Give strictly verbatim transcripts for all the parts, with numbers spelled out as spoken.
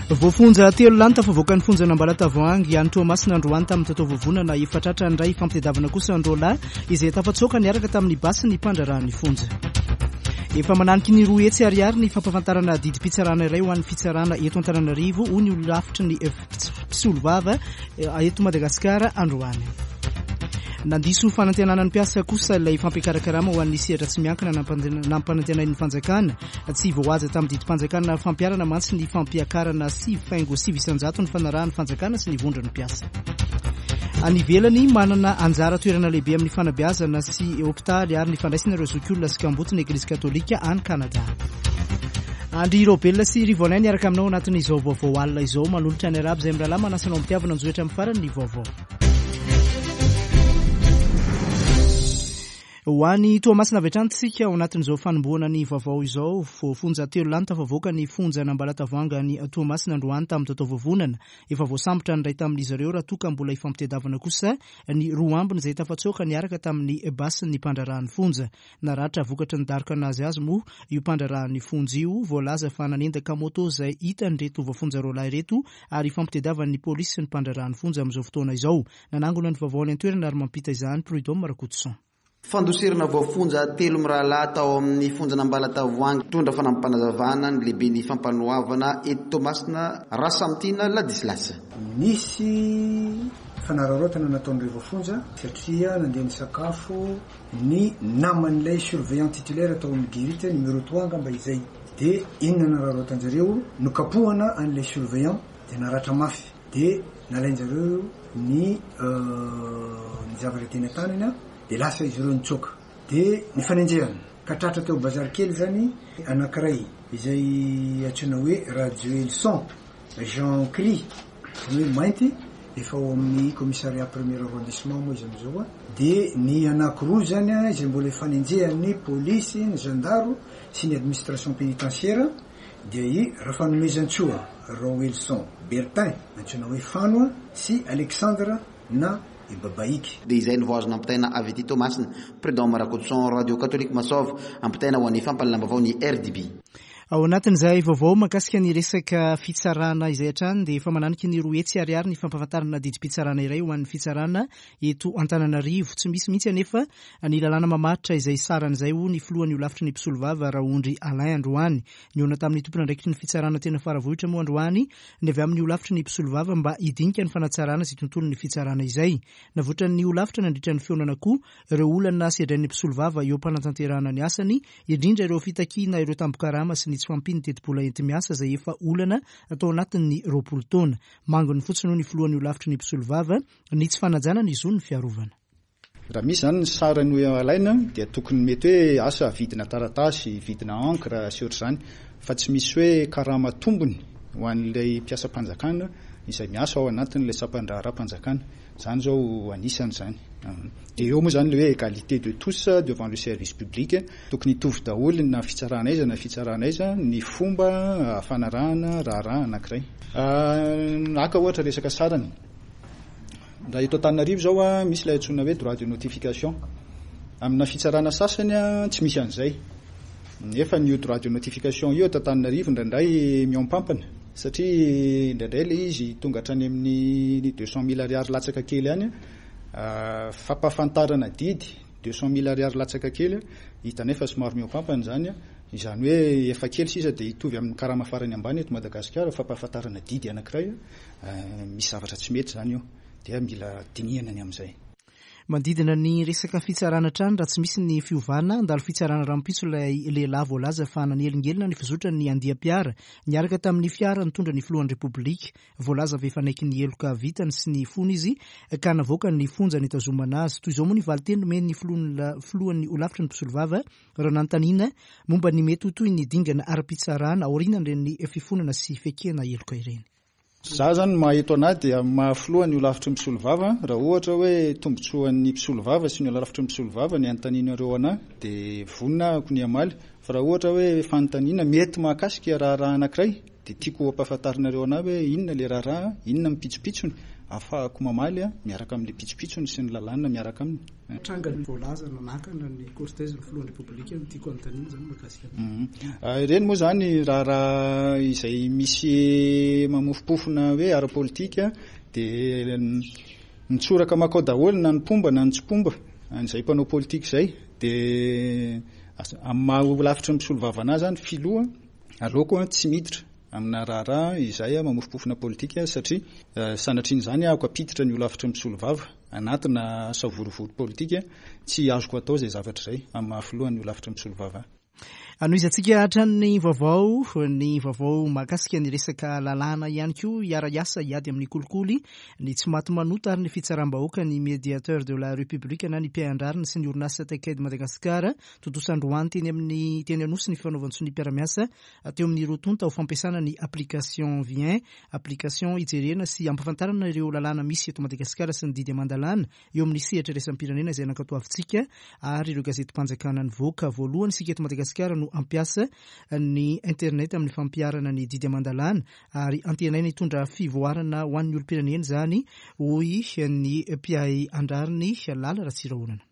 Voafonja telo lahy tafavoaka ny fonjan'Ambalatavoahangy any Toamasina androany tamin'ny tataovovonana. Efa tratra indray fampitadiavana kosa ny roa lahy izay tafatsoaka niaraka tamin'ny basy ny mpandraharahan'ny fonja. Efa mananiky ny roa hetsy ariary ny fampahafantarana didim-pitsarana iray ho an'ny fitsarana eto Antananarivo, hoy ny holafitry ny mpisolovava eto Madagasikara androany. Nandiso fanantenana ny mpiasa kosa ilay fampiakaran-karama ho an'ny sehatra tsy miankina nampanantenain'ny fanjakana. Tsy voahaja tamin'ny didim-panjakana fampiharana mantsy ny fampiakarana sivy faingo sivy isanjato ny fanarahan'ny fanjakana sy ny vondron'ny mpiasa. Any ivelany, manana anjara toerana lehibe amin'ny fanabeazana sy hopitaly ary ny fandraisana ireo zokiolona sy kamboty ny Eglizy Katolika any Kanada. Andry Robelona sy Rivoanay niaraka aminao anatin'izao vaovao alina izao, manolotra ny arabo izay mirahalahy manasa anao am-pitiavana anjohitra amin'ny farany ny vaovao. Ho any Toamasina avy hatrany tsika ao anatin'izao fanombohana ny vaovao izao. Voafonja telo lahy tafavoaka ny fonjan'Ambalatavoahangy any Toamasina androany tamin'ny tataovovonana. Efa voasambotra ny iray tamin'izy ireo raha toa ka mbola ifampitadiavana kosa ny roa ambiny izay tafatsoaka niaraka tamin'ny basin'ny mpandraharahan'ny fonja. Naratra vokatry ny daroka nazy azy moa io mpandraharahan'ny fonja io, voalaza fa nanendaka moto izay hitan'ireto voafonja roa lahy ireto ary ifampitadiavan'ny polisy sy ny mpandraharahan'ny fonja amin'izao fotoana izao. Nanangona ny vaovao any an-toerana ary mampita izany Prud'homme Rakotoson. Fandosirana voafonja telo mirahalahy tao amin'ny fonjan'Ambalatavoahangy. Mitondra fanampim-panazavana ny lehiben'ny fampanoavana eto Toamasina, Rasamitiana Ladislas. Nisy fanararaotana nataon'ireo voafonja satria nandeha nisakafo ny naman'ilay surveillant titulaire tao amin'ny guérite numéro trois angamba izay. Dia inona nararaotan-jareo? Nokapohana an'ilay surveillant dia naratra mafy. Dia nalain-jareo ny ny zavatra teny an-tanany dia lasa izy ireo nitsoaka. Dia nifanenjehana ka tratra teo bazary kely zany anankiray izay antsoina hoe Rajoelson Jean Cri, hoe mainty, efa ao amin'ny commissariat premier arrondissement moa izy amin'izao. Dia ny anankiroa zany izay mbola ifanenjehan'ny polisy, ny zandaro sy ny administration pénitentiaire dia i Rafanomezantsoa Raoelson Bertin antsoina hoe Fano sy Alexandre na i Babaiky. Dia izay no vao azo nampitaina avy aty Toamasina. Prud'homme Rakotoson, Radio Catholique Masov, ampitaina ho an'ny fampahalalam-baovao ny R D B. Ao anatin'izay vaovao mahakasika ny resaka fitsarana izay hatrany dia efa mananiky ny roa hetsy ariary ny fampahafantarana didim-pitsarana iray ho an'ny fitsarana eto Antananarivo. Tsy misy mihitsy anefa ny lalàna mamaritra izay saran'izay, hoy ny filohan'ny holafitry ny mpisolovava Raondry Alain androany. Nihaona tamin'ny tompon'andraikitry ny fitsarana tena Faravohitra moa androany ny avy amin'ny holafitry ny mpisolovava mba hidinika ny fanatsarana izay tontolon'ny fitsarana izay. Navoitran'ny holafitra nandritra ny fihaonana koa ireo olana sedrain'ny mpisolovava eo am-panatanterahana ny asany, indrindra ireo fitakiana ireo tambin-karama sy ny tsy fahampian'ny tetibola enti-miasa izay efa olana atao anatin'ny roapolo taona. Manginy fotsiny, hoy ny filohan'ny holafitry ny mpisolovava, ny tsy fanajana ny zon'ny fiarovana. Raha misy zany ny sarany alaina dia tokony mety hoe asa vidina taratasy, vidina encre sy ohatr'izany, fa tsy misy hoe karama tombony ho an'ilay mpiasam-panjakana izay miasa ao anatin'ilay sampan-draharaham-panjakana zany zao anisany zany. Dia eo moa zany le hoe égalité de tous devant le service public, tokony hitovy daholo na fitsarana aiza na fitsarana aiza ny fomba fanarahana raharaha anankiray. Aka ohatra resaka sarany, raha eto Antananarivo zao a misy ilay antsoina hoe droit de notification, amina fitsarana sasany a tsy misy an'izay, nefa ny droit de notification io eto Antananarivo indraindray mihoampampana satria indraindray le izy tonga hatrany amin'ny deux cent mille ariary latsaka kely any. Fampahafantarana didy deux cent mille ariary latsaka kely hitanay fa somary mihoampampana zany, izany hoe efa kely sisa dia hitovy amin'ny karama farany ambany eto Madagasikara fampahafantarana didy anankiray. Misy zavatra tsy mety zany io dia mila dinihana ny amin'izay. Manodidina ny resaka fitsarana hatrany, raha tsy misy ny fiovana, handalo fitsarana rahampitso ilay lehilahy voalaza fa nanelingelina ny fizotra ny andiam-piara niaraka tamin'ny fiara nitondra ny filohan'ny Repoblika. Voalaza fa efa niaiky ny heloka vitany sy ny fony izy ka navoaka ny fonja nitazomana azy. Toy izao moa ny valinteny nomen'ny filohan'ny holafitry ny mpisolovava raha nanontaniana momba ny mety ho toy ny dingana ara-pitsarana aorian'ireny fifonana sy fiaikena heloka ireny. Za zany maha-eto anahy dia mahafilohan'ny holafitry ny mpisolovava, raha ohatra hoe tombontsoan'ny mpisolovava sy ny holafitry ny mpisolovava ny anontanianareo anahy dia vonona ahako ny hamaly, fa raha ohatra hoe fanontaniana mety mahakasika raharaha anankiray dia tiako hampahafantarinareo anahy hoe inona le raharaha, inona ny pitsopitsony. ahafahako mamaly a miaraka amin'le pitsopitsony sy ny lalàna miaraka aminy. Tranga voalaza nanakana ny cortège ny filohan'ny Repoblika no tiako anontaniana zany mahakasika. Ireny moa zany raharaha izay misy mamofompofona hoe ara-politika dia mitsoraka makao daholo na ny mpomba na ny tsy mpomba an'izay mpanao politika izay, dia amin'ny maha holafitry ny mpisolovava anazy zany filoha aleoko tsy miditra amina raharaha izay mamofompofona politika satria sanatrian'izany aho ampiditra ny holafitry ny mpisolovava anatina savorovoro politika, tsy azoko atao izay zavatra izay amin'ny maha filohan'ny holafitry ny mpisolovava. Anohizantsika hatrany vaovao, ny vaovao mahakasika ny resaka lalàna ihany koa. Hiara-hiasa hiady amin'ny kolikoly, ny tsy maty manota ary ny fitsaram-bahoaka ny médiateur de la République na ny mpiahy sy ny orinasa Tech Aid Madagascar. Tontosa androany teny amin'ny teny Anosy ny fanaovan-tsonia mpiara-miasa teo amin'ny roa tonta ho fampiasana ny application Vien, application hijerena sy ampahafantarana ireo lalàna misy eto Madagasikara sy ny didy aman-dalàna eo amin'ny sehatra iraisam-pirenena izay nankatoavintsika ary ireo gazetim-panjakana nivoaka. Voalohany isika eto Madagasikara no ampiasa ny internet amin'ny fampiharana ny didy aman-dalàna ary antenaina hitondra fivoarana ho an'ny olom-pirenena izany, hoy ny mpiahy an-drariny Lala Ratsirahonana.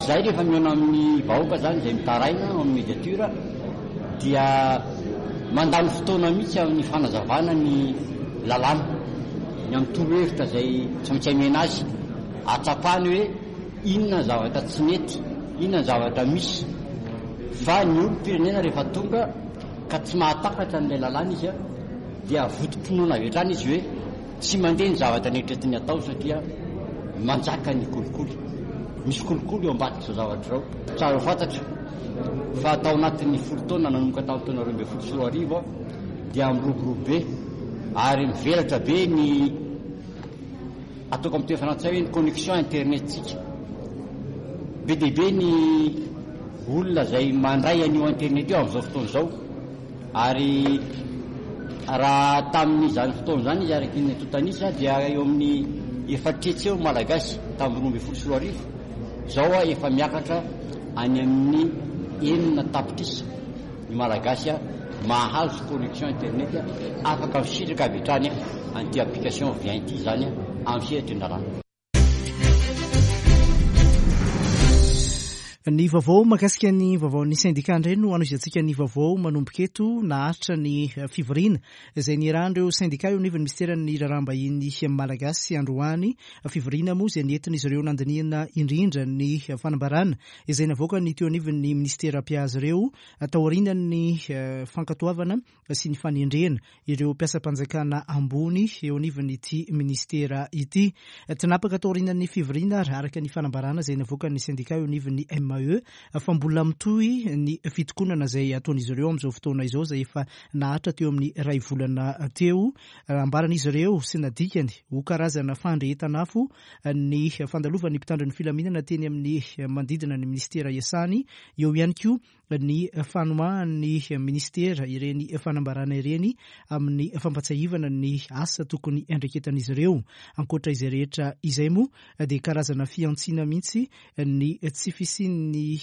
Zay rehefa mihaona amin'ny vahoaka zany izay mitaraina amin'ny médiateur dia mandany fotoana mihitsy amin'ny fanazavana ny lalàna, ny amin'ny torohevitra izay tsy maintsy amena azy, ahatsapany hoe inona ny zavatra tsy mety, inona ny zavatra misy. Fa ny olom-pirenena rehefa tonga ka tsy mahatakatra an'ilay lalàna izy dia votom-pinoana avy hatrany izy hoe tsy mandeha ny zavatra neritreretiny atao satria manjaka ny kolikoly. Misy kolikoly eo ambadika izao zavatra izao. Tsara ho fantatra fa tao anatin'ny folo taona nanomboka tamin'ny taona roa ambin'ny folo sy roa arivo dia miroborobo be ary mivelatra be ny ataoko amin'ny teny frantsay hoe ny connexion internet-tsika. Be dia be ny olona izay mandray an'io internet io amin'izao fotoana izao, ary raha tamin'izany fotoana izany izy araky ny antontanisa dia eo amin'ny efatra hetsy eo malagasy tamin'ny roa ambin'ny folo sy roa arivo, izao efa miakatra any amin'ny enina tapitrisa ny malagasy mahazo connexion internet afaka misitraka avy hatrany an'ity application Vien ity izany amin'ny sehatry ny lalàna. Ny vaovao mahakasika ny vaovaon'ny sendika indray no anohizantsika ny vaovao manomboka eto. Naharitra ny fivoriana izay niarahan'ireo sendika eo anivon'ny minisiteran'ny raharaham-bahiny malagasy androany. Fivoriana moa izay nentin'izy ireo nandinihana indrindra ny fanambarana izay navoakany teo anivon'ny minisitera mpiahy ireo taorian'ny fankatoavana sy ny fanendrena ireo mpiasam-panjakana ambony eo anivon'ity ministera ity. Tinapaka taorian'ny fivoriana ary araka ny fanambarana izay navoakan'ny sendika eo anivon'ny M A E fa mbola mitohy ny fitokonana izay ataon'izy ireo amin'izao fotoana izao izay efa naharitra teo amin'ny iray volana teo. Ambaran'izy ireo sy nadikany ho karazana fandrehetana afo ny fandalovan'ny mpitandro ny filaminana teny amin'ny manodidina ny ministera iasany. Eo ihany koa ny fanomahan'ny ministera ireny fanambarana ireny amin'ny fampatsiahivana ny asa tokony andraiketan'izy ireo. Ankoatra izay rehetra izay moa dia karazana fihantsiana mihitsy ny tsy fisian'ny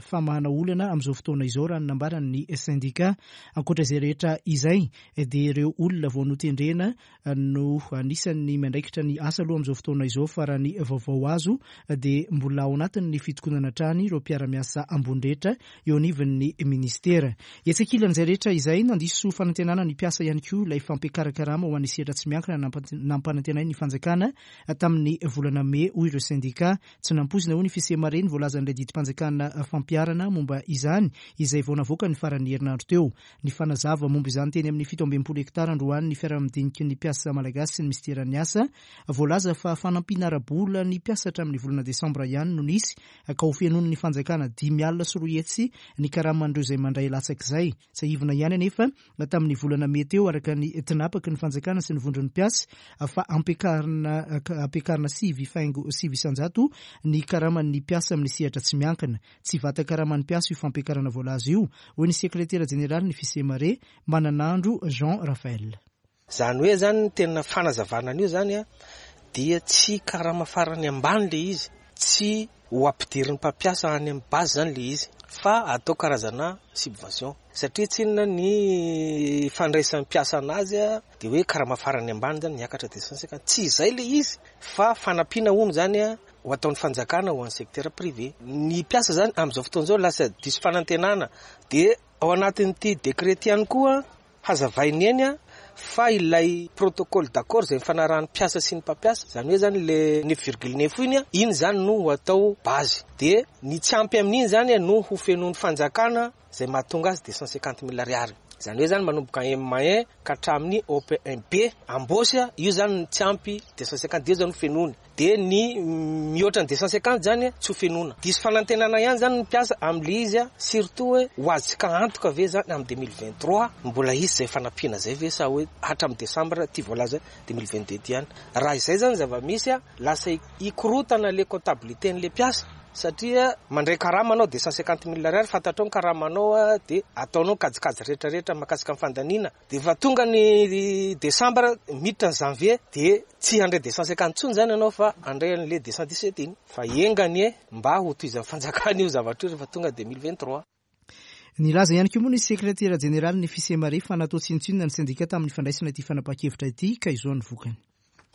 famahana olana amin'izao fotoana izao raha ny nambaran'ny sendika. Ankoatra izay rehetra izay dia ireo olona vao notendrena no anisan'ny miandraikitra ny asa aloha amin'izao fotoana izao, fa raha ny vaovao azo dia mbola ao anatin'ny fitokonana hatrany ireo mpiara-miasa ambony rehetra eo anivon'ny ministera. Etsy ankilan'izay rehetra izay, nandiso fanantenana ny mpiasa ihany koa ilay fampiakaran-karama ho an'ny sehatra tsy miankina nampanantenain'ny fanjakana tamin'ny volana mey, hoy ireo sendika. Tsy nampoizina hoy ny fisemareny voalazan'ilay didim-panjakana fampiharana momba izany izay vao navoaka ny faran'ny herinandro teo. Ny fanazava momba izany teny amin'ny fito amby enimpolo hektara androany ny fiaraha-midiniky ny mpiasa malagasy sy ny minisiteran'ny asa. Voalaza fa fanampiana ara-bola ny mpiasa hatramin'ny volana desambra ihany no nisy ka ho fenoin'ny fanjakana dimy alina sy roa hetsy ny karaman'ireo izay mandray latsak'izay. Tsiahivina ihany anefa tamin'ny volana mey teo araka ny tinapaky ny fanjakana sy ny vondron'ny mpiasa fa ampiakarina ampiakarina sivy faingo sivy isanjato ny karaman'ny mpiasa amin'ny sehatra tsy miankina. Tsy vata-karaman'ny mpiasa io fampiakarana voalaza io, hoy ny sekretera jeneraly ny Fisemare Mananandro Jean Raphaël. Zany hoe zany ny tena fanazavana an'io zany a dia tsy karama farany ambany le izy, tsy ho ampidirin'ny mpampiasa any amin'ny base zany le izy, fa atao karazana subvention, satria tsinona ny fandraisan'ny mpiasa anazy a dia hoe karama farany ambany zany miakatra deux cent cinquante. Tsy izay le izy fa fanampiana hono zany a ho ataon'ny fanjakana ho an'ny secteur privé. Ny mpiasa zany amin'izao fotoana izao lasa diso fanantenana. Dia ao anatin'ity décret ihany koa hazavainy eny a fa ilay protocole d'accord izay nifanarahan'ny mpiasa sy ny mpampiasa, zany hoe zany le neuf virgule neuf iny a, iny zany no ho atao base. Dia ny tsy ampy amin'iny zany no ho fenoin'ny fanjakana izay mahatonga azy deux cent cinquante mille ariary. Zany hoe zany manomboka M un ka hatramin'ny O P un B ambosy a, io zany ny tsy ampy deux cent cinquante, dia io zany ho fenoiny. Dia ny mihoatra ny deux cent cinquante zany tsy ho fenoina. Diso fanantenana ihany zany ny mpiasa amin'ilay izy a, surtout hoe ho azontsika antoka ve zany amin'ny deux mille vingt-trois mbola hisy izay fanampiana izay ve sa hoe hatramin'ny décembre ty voalaza deux mille vingt-deux ty ihany. Raha izay zany zava-misy a, lasa hikorotana le comptabilité n'le mpiasa, satria mandray karama anao deux cent cinquante mille ariary, fantatrao ny karamanao a, dia ataonao kajikajy rehetrarehetra mahakasika ny fandaniana. Dia efa tonga ny décembre miditra ny janvier, dia tsy handray deux cent cinquante intsony zany ianao fa handray an'le deux cent dix-sept iny. Fa enga anie mba ho tohizan'ny fanjakana io zavatra io rehefa tonga deux mille vingt-trois. Nilaza ihany koa moa ny sekretera jeneraly ny Fisemare fa natao tsinontsinona ny sendika tamin'ny fandraisana ity fanapahan-kevitra ity, ka izao ny vokany.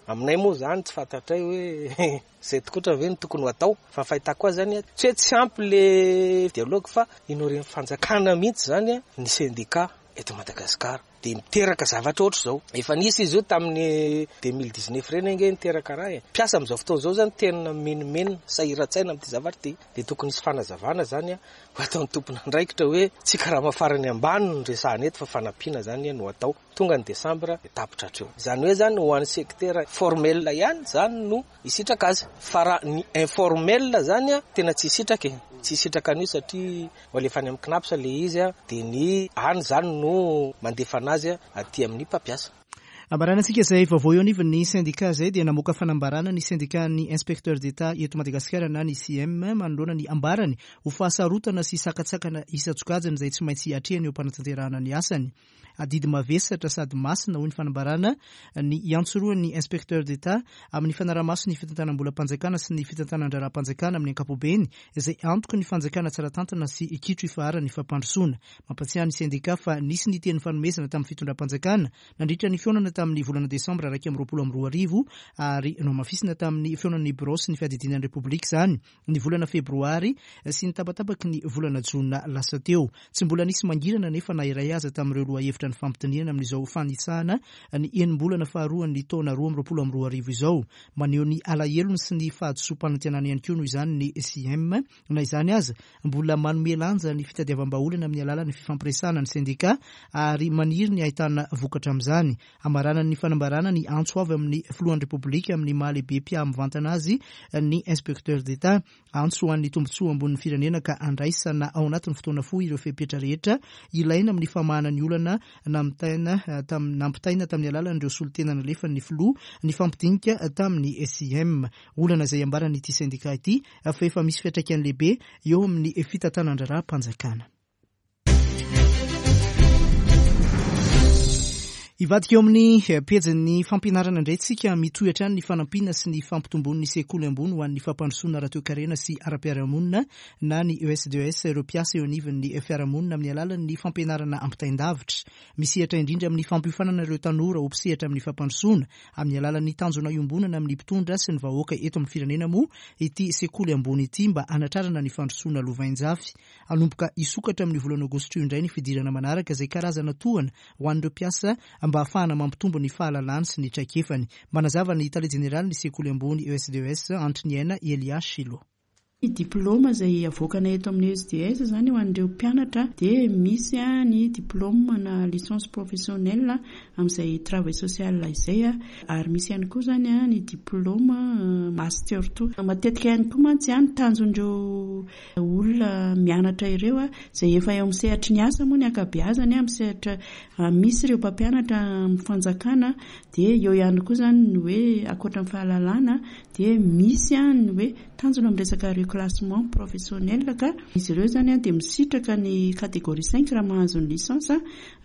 Aminay moa zany tsy fantatray hoe izay tokotra ve no tokony ho atao, fa fahitako azy zany tsy hoe tsy ampy le dialogue fa inoren'ny fanjakana mihitsy zany ny sendika eto Madagasikara. Dia miteraka zavatra ohatr' izao. Efa nisy izy io tamin'ny deux mille dix-neuf ireny ange niteraka raha e. Mpiasa amin'izao fotoana izao zany tena menomenona, sahiran-tsaina amin'ity zavatra ity. Dia tokony hisy fanazavana zany a, ho ataon'ny tompon'andraikitra hoe tsy karama farany ambany no resahana eto fa fanampiana zany no atao. Tonga ny décembre dia tapitra hatreo. Izany hoe zany ho an'ny secteur formel ihany zany no hisitraka azy. Fa raha ny informel zany a, tena tsy hisitraka e. Tsy hisitraka an'io satria ho alefa any amin'ny CNaPS le izy a, dia ny any zany no mandefa anazy a aty amin'ny mpampiasa. Ambaranantsika izay vaovao eo anivon'ny sendika izay dia namoaka fanambarana ny sendikan'ny inspecteur d'État eto Madagasikara na ny C I M manoloana ny ambarany ho fahasarotana sy sakatsakana isan-tsokajiny izay tsy maintsy atrehany eo am-panatanterahana ny asany. Adidy mavesatra sady masina hoy ny fanambarana ny iantsorohan'ny inspecteur d'État amin'ny fanarahamaso ny fitantanam-bolam-panjakana sy ny fitantanan-draharaham-panjakana amin'ny ankapobeny izay antoky ny fanjakana tsara tantana sy kitro ifaharan'ny fampandrosoana. Mampatsiahy ny sendika fa nisy ny teny fanomezana tamin'ny fitondram-panjakana nandritra ny fihaonana tamin'ny volana desambra iraika amby roapolo amby roa arivo ary nohamafisina tamin'ny fihaonan'ny birao sy ny fiadidiana ny Repoblika izany ny volana febroary sy ny tapatapaky ny volana jona lasa teo. Tsy mbola nisy mangirana nefa na iray aza tamin'ireo lohahevitra ny fampitoniana amin'izao fanitsahana ny enim-bolana faharoan'ny taona roa amby roapolo amby roa arivo izao. Maneho ny alahelony sy ny fahadisoam-panantenana ihany koa noho izany ny C I M. Na izany aza, mbola manome lanja ny fitadiavam-bahaolana amin'ny alalan'ny fifampiresahana ny sendika ary maniry ny ahitana vokatra amin'izany. Amaranany ny fanambarana ny antso avy amin'ny filohan'ny Repoblika amin'ny maha lehibe mpiahy mivantana azy ny inspecteur d'État. Antso ho an'ny tombontsoa ambonin'ny firenena ka andraisana ao anatin'ny fotoana fohy ireo fepetra rehetra ilaina amin'ny famahana ny olana nampitaina tam-, nampitaina tamin'ny alalan'ireo solontena nalefan'ny filoha ny fampidinika tamin'ny S I M. Olana izay ambaran'ity sendika ity fa efa misy fiantraikany lehibe eo amin'ny fitantanan-draharaham-panjakana. Hivadika eo amin'ny pejin'ny fampianarana indray tsika, mitohy hatrany ny fanampiana sy ny fampitomboan'ny sekoly ambony ho an'ny fampandrosoana ara-toekarena sy ara-piarahamonina na ny E S D E S ireo mpiasa eo anivon'ny fiarahamonina amin'ny alalan'ny fampianarana ampitain-davitra. Misehatra indrindra amin'ny fampiofanana ireo tanora ho mpisehatra amin'ny fampandrosoana amin'ny alalan'ny tanjona iombonana amin'ny mpitondra sy ny vahoaka eto amin'ny firenena moa ity sekoly ambony ity mba hanatrarana ny fandrosoana lovainjafy. Hanomboka hisokatra amin'ny volana aogositra io indray ny fidirana manaraka izay karazana tohana ho an'ireo mpiasa mba hahafahana mampitombo ny fahalalany sy ny traikefany. Manazava ny tale jeneraly ny sekoly ambony E S D E S Antriniaina Elia Shilo. Ny diplôma izay avoakana eto amin'ny E S D E S izany ho an'ireo mpianatra dia misy ny diplôma na licence professionnelle amin'izay travail social izay, ary misy ihany koa izany ny diplôma master two. Matetika ihany koa mantsy ny tanjon'ireo olona mianatra ireo izay efa eo amin'ny sehatry ny asa moa ny ankabeazany, amin'ny sehatra misy ireo mpampianatra amin'ny fanjakana dia eo ihany koa izany ny hoe ankoatra ny fahalalana dia misy ny hoe tanjona amin'ny resaka reclassement professionnel ka izy ireo izany dia misitraka ny catégorie cinq raha mahazo ny licence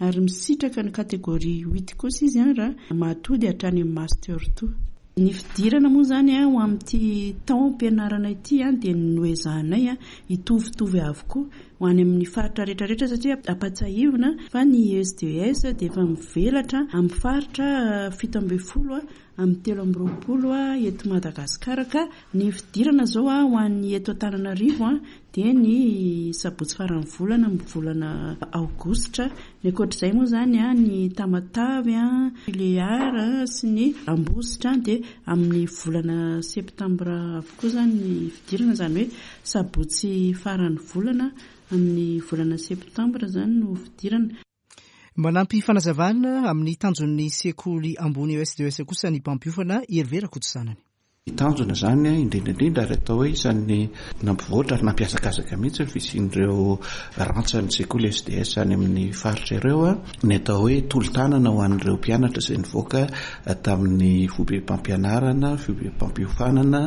ary misitraka ny catégorie huit kosa izy raha mahatody hatrany amin'ny master two. Ny fidirana moa izany ho amin'ity taom-pianarana ity dia noezahanay hitovitovy avokoa ho any amin'ny faritra rehetrarehetra, satria ampatsahivina fa ny E S D S dia efa mivelatra amin'ny faritra fito ambin'ny folo amin'ny telo amby roapolo eto Madagasikara. Ka ny fidirana izao ho an'ny eto Antananarivo dia ny sabotsy faran'ny volana amin'ny volana aogositra. Ny ankoatr'izay moa izany ny Tamatave, Tuléar sy ny Ambositra dia amin'ny volana septambra avokoa izany ny fidirana, izany hoe sabotsy faran'ny volana amin'ny volana septambra izany no fidirana. Manampy fanazavana amin'ny tanjon'ny sekoly ambony E S D S kosa ny mpampiofana Hervé Rakotosanany. Ny tanjona izany indrindra indrindra ary atao hoe isan'ny nampivoatra ary nampiazakazaka mihitsy ny fisian'ireo rantsan'ny sekoly E S D S any amin'ny faritra ireo, ny atao hoe tolo-tanana ho an'ireo mpianatra izay nivoaka tamin'ny foibem-pampianarana, foibem-pampiofanana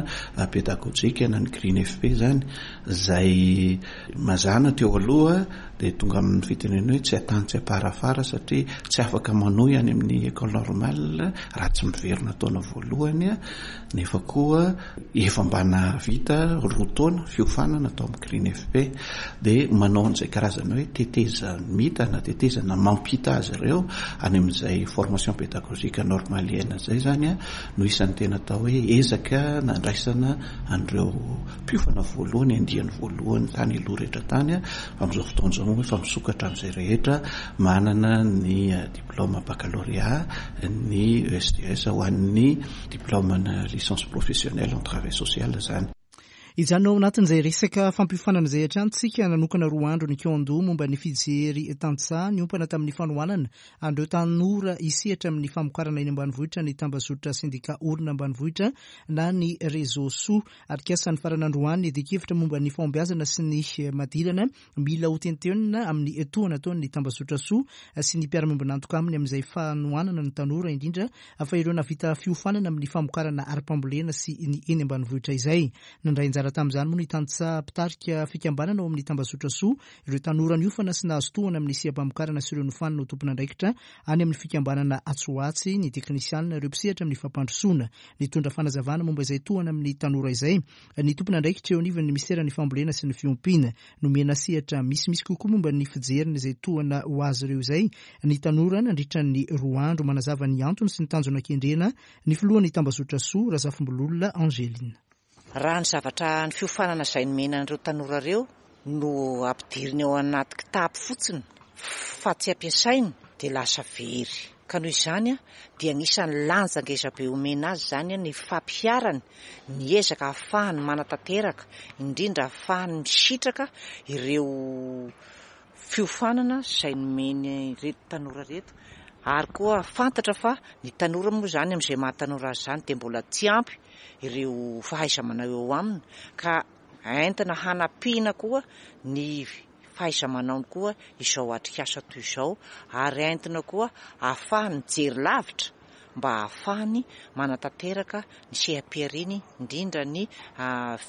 pedagojika na ny Green F P izany, izay mazàna teo aloha dia tonga amin'ny fitenenana hoe tsy atany tsy aparafara satria tsy afaka manohy any amin'ny école normale raha tsy miverina taona voalohany, nefa koa efa mba nahavita roa taona fiofanana tao amin'ny Green F P dia manao an'izay karazana hoe tetezamita na tetezana mampita azy ireo any amin'izay formation pédagogique normalienne izay zany no isan'ny tena atao hoe ezaka nandraisana an'ireo mpiofana voalohany, andiany voalohany tany aloha rehetra tany. Amin'izao fotoana izao moa efa misokatra amin'izay rehetra manana ny diplôme baccalauréat, ny E S D S ho an'ny diplôme na licence professionnelle en travail social zany. Izany ao anatin'izay resaka fampiofanana izay hatrany tsika nanokana roa andro ny Kyondo momba ny fijery tantsaha niompana tamin'ny fanohanana an'ireo tanora hisehatra amin'ny famokarana eny ambanivohitra ny tambazotra sendika orina ambanivohitra na ny réseau soa. Arikasa ny faran'androany ny adikevitra momba ny fahombiazana sy ny madilana mila ho tentenina amin'ny tohana ataon'ny tambazotra soa sy ny mpiara-miombon'antoka aminy amin'izay fanohanana ny tanora, indrindra fa ireo navita fiofanana amin'ny famokarana ara-pambolena sy ny eny ambanivohitra izay. Nandray anjara tamin'izany moa ny tantsaha mpitarika fikambanana ao amin'ny tambazotra soa, ireo tanora niofana sy nahazo tohana amin'ny seha-pamokarana sy ireo nofanina ho tompon'andraikitra any amin'ny fikambanana atsy ho atsy, ny teknisianina, ireo mpisehatra amin'ny fampandrosoana. Nitondra fanazavana momba izay tohana amin'ny tanora izay ny tompon'andraikitra eo anivon'ny minisiteran'ny fambolena sy ny fiompiana. Nomena sehatra misimisy kokoa momba ny fijeriny izay tohana ho azy ireo izay ny tanora nandritra ny roa andro. Manazava ny antony sy ny tanjona kendrena ny filohan'ny tambazotra soa, Razafimbololona Angeline. Raha ny zavatra ny fiofanana izay nomena an'ireo tanora ireo no ampidiriny ao anaty kitapo fotsiny fa tsy ampiasainy dia lasa very. Ka noho izany dia anisan'ny lanja ngeza be omena azy izany ny fampiharany, ny ezaka ahafahany manatanteraka, indrindra ahafahany misitraka ireo fiofanana izay nomeny ireto tanora ireto. Ary koa fantatra fa ny tanora moa izany amin'izay maha tanora azy izany dia mbola tsy ampy ireo fahaiza-manao eo aminy, ka entina hanampiana koa ny fahaiza-manaony koa izao atrikasa toy izao, ary entina koa ahafahany mijery lavitra mba ahafahany manatanteraka ny seha-pihariany, indrindra ny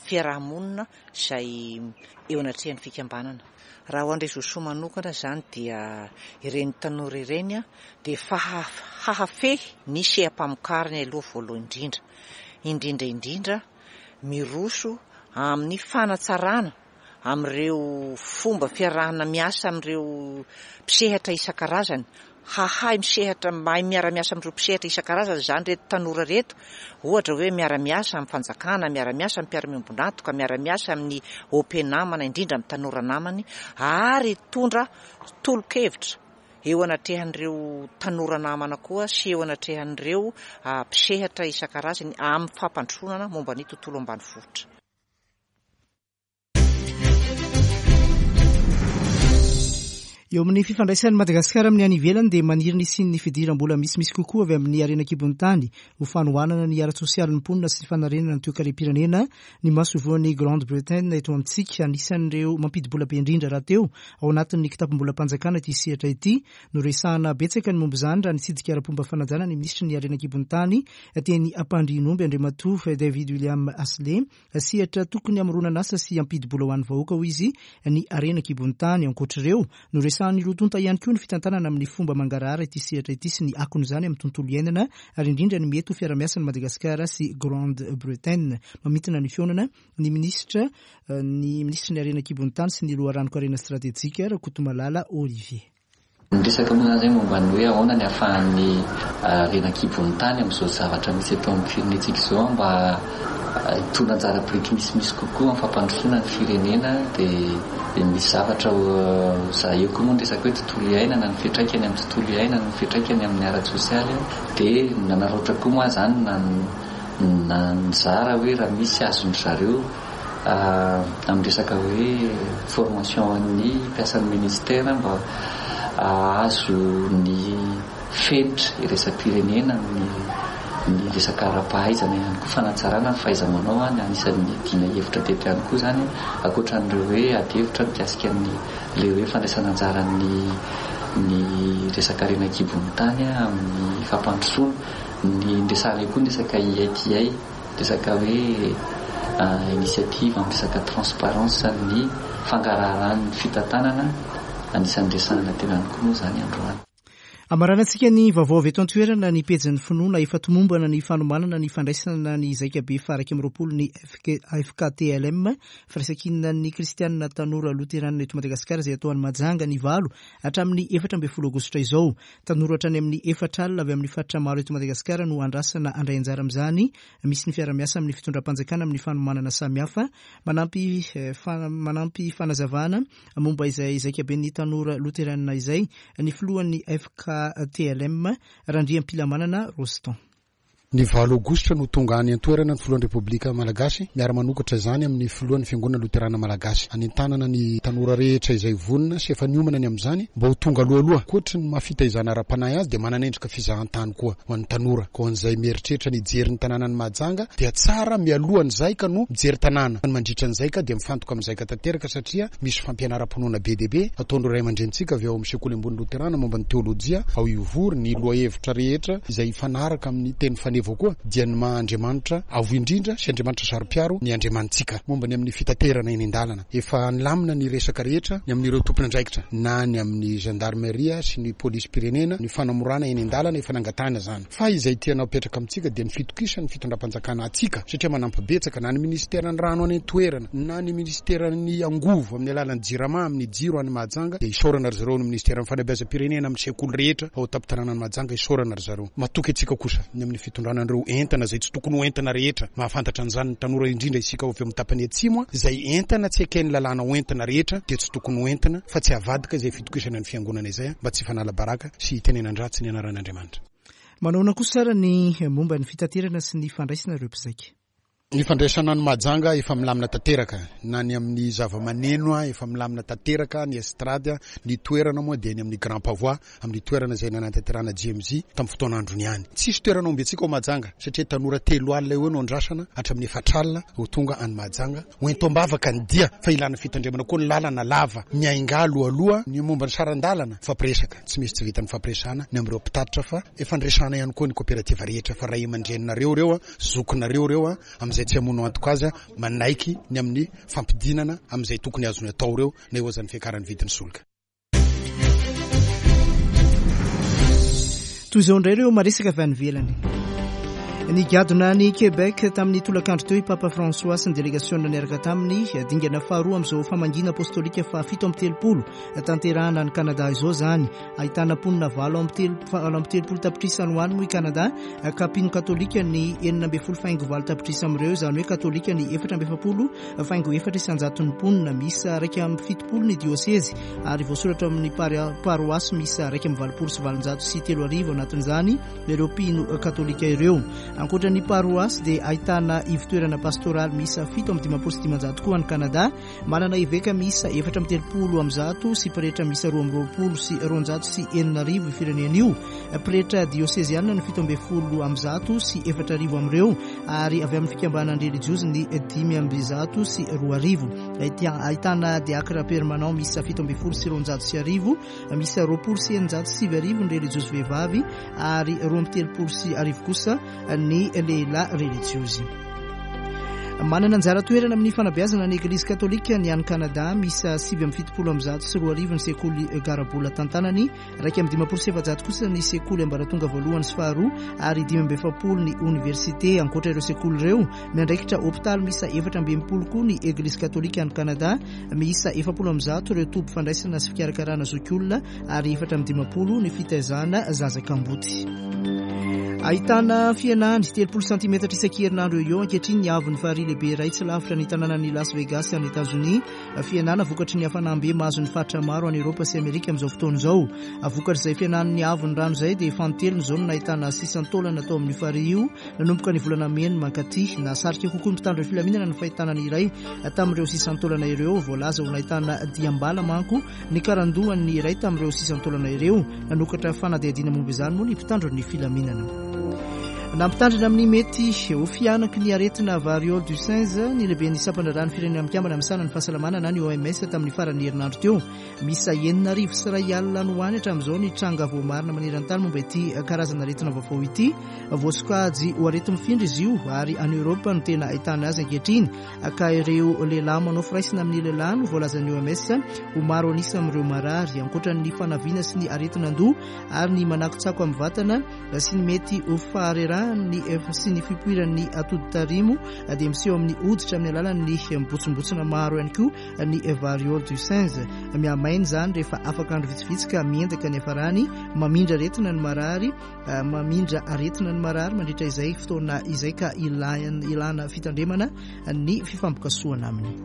fiarahamonina izay eo anatrehan'ny fikambanana. Raha ho an'ireo soa manokana izany dia ireny tanora ireny dia faha-, hahafehy ny seha-pamokarany aloha voalohany indrindra, indrindra indrindra miroso amin'ny fanatsarana amin'ireo fomba fiarahana miasa amin'ireo mpisehatra isan-karazany. Hahay misehatra, mahay miara-miasa amin'ireo mpisehatra isan-karazany izany ireto tanora ireto, ohatra hoe miara-miasa amin'ny fanjakana, miara-miasa amin'ny mpiara-miombon'antoka, miara-miasa amin'ny O P namana, indrindra amin'ny tanora namany, ary hitondra tolo-kevitra eo anatrehan'ireo tanora namana koa sy eo anatrehan'ireo mpisehatra isan-karazany amin'ny fampandrosoana momba ny tontolo ambanivohitra. Eo amin'ny fifandraisan'i Madagasikara amin'ny any ivelany dia maniry ny hisian'ny fidiram-bola misimisy kokoa avy amin'ny harena an-kibon'ny tany ho fanohanana ny ara-tsosialin'ny mponina sy ny fanarenana ny toekarem-pirenena. Ny masoivohon'ny Grande-Bretagne eto amintsika, anisan'ireo mampidi-bola be indrindra rahateo ao anatin'ny kitapom-bolam-panjakana ity sehatra ity. Noresahana betsaka ny momba izany raha nitsidika ara-pomba fanajana ny minisitry ny harena an-kibon'ny tany teny Ampandrianomby Andriamatoa David William Ashley. Sehatra tokony hamoronana asa sy hampidi-bola ho an'ny vahoaka hoy izy ny harena an-kibon'ny tany. Ankoatr'ireo, noresahana Noresahan'ny roa tonta ihany koa ny fitantanana amin'ny fomba mangarahara ity sehatra ity sy ny akon'izany amin'ny tontolo iainana, ary indrindra ny mety ho fiarahamiasan'i Madagasikara sy Grande-Bretagne. Mamintina ny fihaonana ny minisitra ny minisitry ny harena an-kibon'ny tany sy ny loharanon-karena stratejika, Rakotomalala Olivier. Niresaka moa izany momba ny hoe ahoana ny ahafahan'ny harena an-kibon'ny tany amin'izao zavatra misy eto amin'ny firenentsika izao mba hitondra anjara biriky misimisy kokoa amin'ny fampandrosoana ny firenena. Dia misy zavatra za eo koa moa ny resaka hoe tontolo iainana, ny fiantraikany amin'ny tontolo iainana, ny fiantraikany amin'ny ara-tsosialy. Dia nanararaotra koa moa izany na nizara hoe raha misy azon-dry zareo amin'ny resaka hoe formation an'ny mpiasan'ny ministera mba ahazo ny fenitra iraisam-pirenena amin'ny ny resaka ara-pahaizana ihany koa, fanatsarana ny fahaiza-manao. Ny anisan'ny dina hevitra teto ihany koa izany, ankoatran'ireo hoe ady hevitra mikasika ny le hoe fandraisana anjaran'ny ny resaka harena an-kibon'ny tany amin'ny fampandrosoana. Ny niresahana koa ny resaka I T I, resaka hoe initiative amin'ny resaka transparence ny fangaraharan'ny fitantanana, anisan'ny resahana teo ihany koa moa izany androany. Amaranantsika ny vaovao avy eto an-toerana ny pejin'ny finoana. Efa tomombana ny fanomanana ny fandraisana ny zaikabe faha iraika amby roapolo ny F K T L M, firaisankinan'ny kristianina tanora loteranina eto Madagasikara, izay atao any Mahajanga ny valo hatramin'ny efatra ambin'ny folo aogositra izao. Tanora hatrany amin'ny efatra alina avy amin'ny faritra maro eto Madagasikara no andrasana handray anjara amin'izany. Misy ny fiarahamiasa amin'ny fitondram-panjakana amin'ny fanomanana samihafa. Manampy manampy fanazavana momba izay zaikaben'ny tanora loteranina izay ny filohan'ny F K T L M, Randriampilamanana Rostand. Ny valo aogositra no tonga any an-toerana ny filohan'ny Repoblika Malagasy, miara-manokatra izany amin'ny filohan'ny Fiangonana Loterana Malagasy. Anentanana ny tanora rehetra izay vonona sy efa niomana ny amin'izany mba ho tonga alohaloha. Ankoatry ny maha fitaizana ara-panahy azy dia manana endrika fizahantany koa ho an'ny tanora. Koa an'izay mieritreritra ny hijery ny tanànan'i Mahajanga dia tsara mialohan'izay ka no mijery tanàna. Mandritra an'izay ka dia mifantoka amin'izay ka tanteraka, satria misy fampianaram-pinoana be dia be ataon'ireo ray aman-drenintsika avy ao amin'ny sekoly ambony loterana momba ny teolojia ao Ivory, ny lohahevitra rehetra izay hifanaraka amin'ny teny faneva koa dia ny maha Andriamanitra avo indrindra sy Andriamanitra saro-piaro ny Andriamanitsika. Momba ny amin'ny fitaterana eny an-dalana, efa nilamina ny resaka rehetra ny amin'ireo tompon'andraikitra na ny amin'ny gendarmeria sy ny polisim-pirenena, ny fanamorana eny an-dalana efa nangatahana izany. Fa izay tiana apetraka amintsika dia ny fitokisan'ny fitondram-panjakana antsika, satria manampy betsaka na ny ministeran'ny rano any an-toerana na ny ministeran'ny angovo amin'ny alalan'ny Jirama amin'ny jiro any Mahajanga, dia isaorana ry zareo ny ministeran'ny fanabeazam-pirenena amin'ny sekoly rehetra ao an-tampon-tanànan'i Mahajanga, isaorana ry zareo. Matoky antsika kosa ny amin'ny fitondrana an'ireo entana izay tsy tokony ho entana rehetra. Mahafantatra an'izany ny tanora, indrindra isika avy amin'ny tapany atsimo, izay entana tsy eken'ny lalàna ho entina rehetra dia tsy tokony ho entina, fa tsy avadika izay fitokisana ny fiangonana izay mba tsy fanala baraka sy hitenenan-dratsy ny anaran'Andriamanitra. Manaona kosa ary ny momba ny fitaterana sy ny fandraisana ireo mpizaika? Ny fandraisana ny Mahajanga efa milamina tanteraka, na ny amin'ny zava-maneno efa milamina tanteraka, ny estrade, ny toerana moa dia ny amin'ny Grand Pavois, amin'ny toerana izay nanatanterahana J M Z tamin'ny fotoan'androny ihany. Tsisy toerana omby antsika ao Mahajanga, satria tanora telo alina eo no andrasana hatramin'ny efatra alina ho tonga any Mahajanga. Ho ento-ambavaka ny dia, fa ilana fitandremana koa ny lalana lava, miainga alohaloha ny momba ny saran-dalana, fampiresaka, tsy misy tsy vitan'ny fampiresahana ny amin'ireo mpitatitra, fa efa niresahana ihany koa ny koperativa rehetra, fa ray aman-dreninareo ireo, zokinareo ireo, amin'izay tsy hamono antoka azy, manaiky ny amin'ny fampidinana amin'izay tokony azony atao ireo, na eo azan'ny fiakaran'ny vidin'ny solika. Toy izao indray ireo maresaka avy any ivelany. Nigadona ny Québec tamin'ny tolakandro teo i Papa François sy ny delegasiona niaraka taminy. Dingana faharoa amin'izao famangiana apostolika fahafito amby telopolo tanterahana any Canada izao izany. Ahitana mponina valo amby telopolo tapitrisa any ho any moa i Canada, ka mpino katolika ny enina ambin'ny folo faingo valo tapitrisa amin'ireo, izany hoe katolika ny efatra amby efapolo faingo efatra isan-jaton'ny mponina. Miisa iraika amby fitopolo ny diosezy ary voasoratra amin'ny paroasy miisa iraika amby valopolo sy valonjato sy telo arivo anatin'izany ireo mpino katolika ireo. Ankoatra ny paroasy dia ahitana ivotoerana pastoraly miisa fito amby dimampolo sy dimanjato koa any Canada. Manana eveka miisa efatra amby telopolo amby zato sy pretra miisa roa amby roapolo sy roanjato sy enina arivo io firenena io. Pretra dioseziana ny fito amby folo amby zato sy efatra arivo amin'ireo, ary avy amin'ny fikambanana relijiozy ny dimy amby zato sy roa arivo. Ahitana diakra permanent miisa fito amby folo sy roanjato sy arivo, miisa roapolo sy eninjato sy sivy arivo ny relijiozy vehivavy, ary roa amby telopolo sy arivo kosa ny lehilahy relijiozy. Manana anjara toerana amin'ny fanabeazana ny Eglizy Katolika ny any Kanada. Miisa sivy amby fitopolo amby zato sy roa arivo ny sekoly garabola tantanany, iraika amby dimampolo sy efajato kosa ny sekoly ambaratonga voalohany sy faharoa ary dimy amby efapolo ny oniversite. Ankoatra ireo sekoly ireo, miandraikitra hopitaly miisa efatra amby enimpolo koa ny Eglizy Katolika any Kanada. Miisa efapolo amby zato ireo toby fandraisana sy fikarakarana zokiolona ary efatra amby dimampolo ny fitaizana zaza kamboty. Ahitana fihenany telopolo santimetatra isan-kerinandro eo eo ankehitriny ny haavon'ny farihy lehibe iray tsy lavitra ny tanànan'i Las Vegas any Etazonia. Fihenana vokatry ny hafanam-be mahazo ny faritra maro any Eoropa sy Amerika amin'izao fotoana izao. Vokatr'izay fihenan'ny haavon'ny rano izay dia fanintelony izao no nahitana sisan-taolana tao amin'io farihy io nanomboka ny volana mey mankaty. Nahasarika kokoa ny mpitandro ny filaminana ny fahitana ny iray tamin'ireo sisan-taolana ireo. Voalaza ho nahitana diam-bala manko ny karandohan'ny iray tamin'ireo sisan-taolana ireo. Nanokatra fanadihadiana momba izany moa ny mpitandro ny filaminana. Nampitandrina amin'ny mety ho fihanaky ny aretina variole du singe ny lehiben'ny sampan-draharahan'ny Firenena Mikambana misahana ny fahasalamana na ny O M S tamin'ny faran'ny herinandro teo. Miisa enina arivo sy iray alina no any hatramin'izao ny tranga voamarina maneran-tany momba ity karazana aretina vaovao ity. Voasokajy ho areti-mifindra izy io ary any Eoropa no tena ahitana azy ankehitriny, ka ireo lehilahy manao firaisana amin'ny lehilahy no voalazan'ny O M S ho maro anisa amin'ireo marary. Ankoatra ny fanaviana sy ny aretin'andoha ary ny manakotsako amin'ny vatana sy ny mety ho faharerahan'ny sy ny fipoiran'ny atoditarimo dia miseho amin'ny hoditra amin'ny alalan'ny mibontsimbontsina maro ihany koa ny variole du singe. Mihamaina izany rehefa afaka andro vitsivitsy ka miendaka ny hafarany. Mamindra aretina ny marary mamindra aretina ny marary mandritra izay fotoana izay, ka ilana fitandremana ny fifampikasohana aminy.